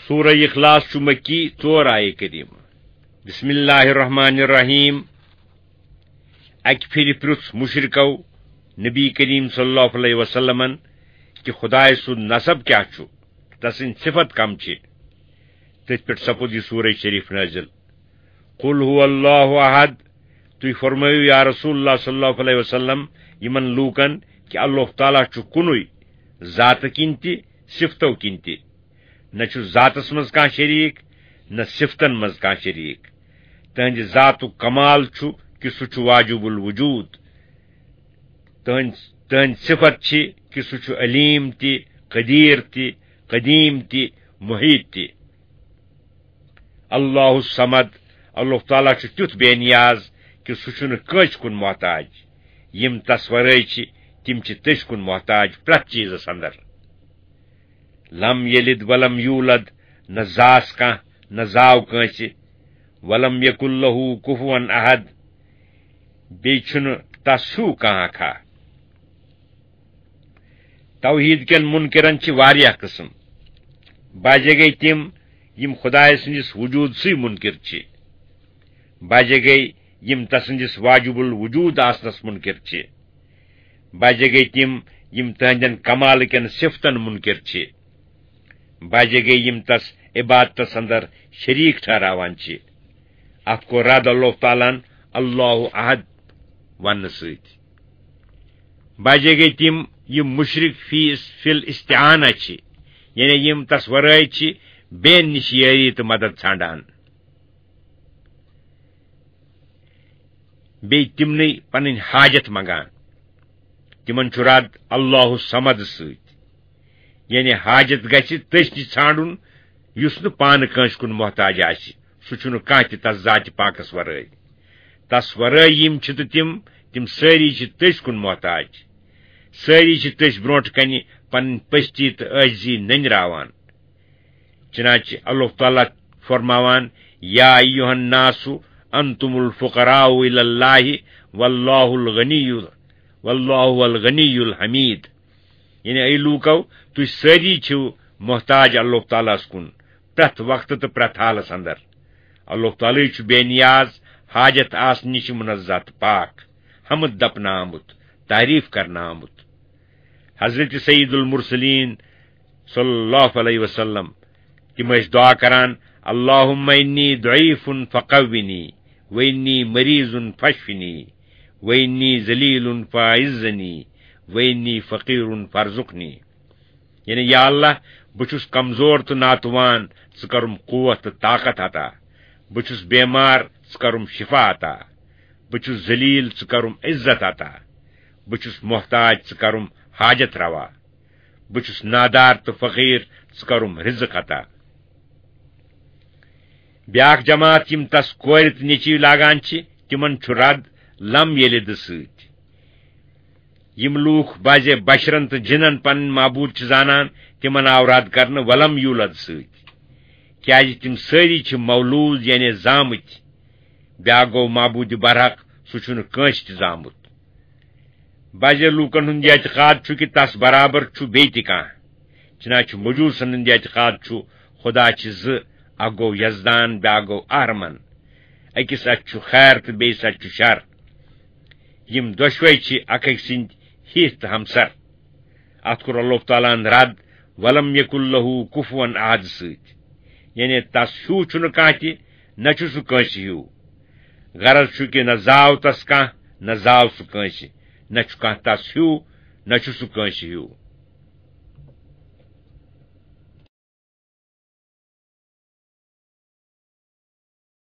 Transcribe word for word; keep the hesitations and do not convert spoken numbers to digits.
سورہ اخلاص چھُ مکی، ژور آیہِ کریمہ۔ بسم اللہ الرحمن الرحیم۔ اکہِ پھِرِ پرُژھ مشرکو نبی کریم صلی اللہ علیہ وسلمن کہِ خدائے سُنٛد نسب کیٛاہ چھُ، تسٕنٛدۍ صفت کم چھِ۔ تٔتھۍ پٮ۪ٹھ سپُد یہِ سورہ شریف نازل۔ قل هو اللہ احد۔ تُہۍ فرمٲیِو یا رسول اللہ صلی اللہ علیہ وسلم یِمن لوٗکن کہِ اللہ تعالیٰ چھُ کُنُے، ذاتہٕ کِنۍ تہِ، صفتو کِنۍ تہِ۔ نہ چھُ ذاتس منٛز کانٛہہ شریٖک، نہ صفتن منٛز کانٛہہ شریٖک۔ تہنٛدِ ذاتُک کمال چھُ کہِ سُہ چھُ واجب الوجود۔ تہنٛدۍ، تہنٛدۍ صفت چھِ کہِ سُہ چھُ علیم تہِ، قدیر تہِ، قدیم تہِ، محیط تہِ۔ اللہ الصمد، اللہ تعالیٰ چھُ تیُتھ بے نیاز کہِ سُہ چھُنہٕ کٲنٛسہِ کُن محتاج۔ یِم تس ورٲے چھِ، تِم چھِ تٔسۍ کُن محتاج پرٛٮ۪تھ چیٖزس اندر۔ لم یلد ولم یولد، نہ زاس کانٛہہ، نہ زاو کٲنٛسہِ۔ ولم یکن لہ کفوا احد، بیٚیہِ چھُنہٕ تس ہیوٗ کانٛہہ اکھا۔ توحیٖد کٮ۪ن مُنکِرن چھِ واریاہ قٕسم۔ بعضے گٔے تِم، یِم خدایہِ سٕنٛدِس وجوٗدسٕے مُنکِر چھِ۔ بعضے گٔے، یِم تسٕنٛدِس واجب الوجود آسنس مُنکِر چھِ۔ بعضے گٔے تِم، یِم تہنٛدٮ۪ن کمالہٕ کٮ۪ن صفتن مُنکِر چھِ۔ بعضے گٔے، یِم تس عبادتس اندر شریٖک ٹھہراوان چھِ۔ اتھ کوٚر رد اللہ تعالیٰ ہن اللہ احد وننہٕ سۭتۍ۔ بعضے گٔے تِم، یِم مشرک فی، فی الاستعانہ چھِ، یعنی یِم تس ورٲے چھِ بیٚین نِش یٲری تہٕ مدد ژھانڈان۔ بیٚیہِ تِمنٕے پنٕنۍ حاجت منگان۔ تِمن چھُ رد اللہ الصمد سۭتۍ، یعنی حاجت گژھِ تٔسۍ نِش ژھانڈُن، یُس نہٕ پانہٕ کٲنٛسہِ کُن محتاج آسہِ۔ سُہ چھُنہٕ کانٛہہ تہِ تس ذاتِ پاکس ورٲے۔ تس ورٲے یِم چھِ تہٕ تِم، تِم سٲری چھِ تٔسۍ کُن محتاج۔ سٲری چھِ تٔسۍ برونٛٹھ کنہِ پنٕنۍ پستی تہٕ عٲجزی نٔنراوان۔ چنانچہ اللہ تعالیٰ فرماوان، یا ایھا الناس انتم الفقراء الی اللہ واللہ الغنی، واللہ هو الغنی الحمید۔ یعنی اے لوٗکو، تُہۍ سٲری چھِو محتاج اللہ تعالیٰ ہس کُن پرٛٮ۪تھ وقتہٕ تہٕ پرٛٮ۪تھ حالس اندر۔ اللہ تعالیٰ چھُ بے نیاز، حاجت آسنہٕ نِش منزہ تہٕ پاک، حمد دپنہٕ آمُت، تعریف کرنہٕ آمُت۔ حضرت سید المرسلین صلی اللہ علیہ وسلم، تِم ٲسۍ دعا کران، اللہم انی ضعیف فقونی، و انی مریض فاشفنی، و انی ذلیل فاعزنی، و انی فقیر فارزقنی۔ یعنی، یا اللہ، بہٕ چھُس کمزور تہٕ ناتوان، ژٕ کرُم قوت تہٕ طاقت عطا۔ بہٕ چھُس بیمار، ژٕ کرُم شفا عطا۔ بہٕ چھُس ذلیل، ژٕ کرُم عزت عطا۔ بہٕ چھُس محتاج، ژٕ کرُم حاجت روا۔ بہٕ چھُس نادار تہٕ فقیر، ژٕ کرُم رزق عطا۔ بیاکھ جماعت، یِم تس کورِ تہٕ نیٚچوۍ لاگان چھِ، تِمن چھُ رد لم یلد سۭتۍ۔ یِم لوٗکھ بعضے بشرن تہٕ جِنن پنٕنۍ معبوٗد چھِ زانان، تِمن آو رد کرنہٕ ولم یولد سۭتۍ، کیازِ تِم سٲری چھِ مولوٗد، یعنی زامٕتۍ۔ بیاکھ گوٚو معبوٗدِ برحق، سُہ چھُنہٕ کٲنٛسہِ تہِ زامُت۔ بعضے لوٗکن ہُنٛد یہِ اعتقاد چھُ کہِ تس برابر چھُ بیٚیہِ تہِ کانٛہہ۔ چنانچہ مجوٗسن ہُنٛد یہِ اعتقاد چھُ، خدا چھِ زٕ، اکھ گوٚو یزدان، بیاکھ گوٚو اہرمن۔ أکِس اَتھِ چھُ خیر تہٕ بیٚیِس اَتھِ چھُ شر۔ یِم دۄشوے چھِ اکھ أکۍ سٕنٛدۍ ہِتھ تہٕ ہمسر۔ اتھ کوٚر اللہ تعالیٰ ہن رد، ولم یکن لہ کفوا احد سۭتۍ۔ یعنی تس ہیوٗ چھُنہٕ کانٛہہ تہِ، نہ چھُ سُہ کٲنٛسہِ ہیوٗ۔ غرض چھُ کہِ نہ زاو تس کانٛہہ، نہ زاو سُہ کٲنٛسہِ، نہ چھُ کانٛہہ تس ہیوٗ، نہ چھُ سُہ کٲنٛسہِ ہیوٗ۔